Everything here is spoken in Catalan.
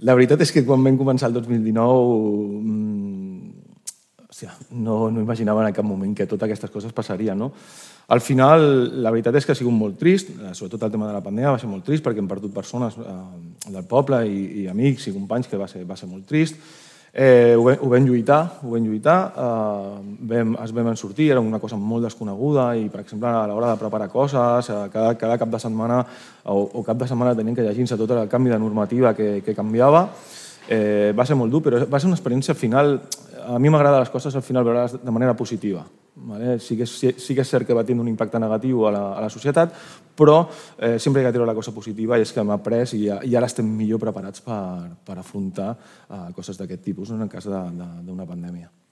La veritat és que quan vam començar el 2019 no imaginava en cap moment que totes aquestes coses passarien, no? Al final, la veritat és que ha sigut molt trist, sobretot el tema de la pandèmia va ser molt trist perquè hem perdut persones del poble i amics i companys, que va ser molt trist. Ho vam lluitar, ens vam sortir, era una cosa molt desconeguda i, per exemple, a l'hora de preparar coses, cada cap de setmana o cap de setmana teníem que llegir-se tot el canvi de normativa que canviava. Va ser molt dur, però va ser una experiència al final. A mi m'agrada les coses al final veure-les de manera positiva. Sí que és cert que va tenir un impacte negatiu a la societat, però sempre hi ha que treure la cosa positiva i és que hem après i ara estem millor preparats per afrontar coses d'aquest tipus en el cas d'una pandèmia.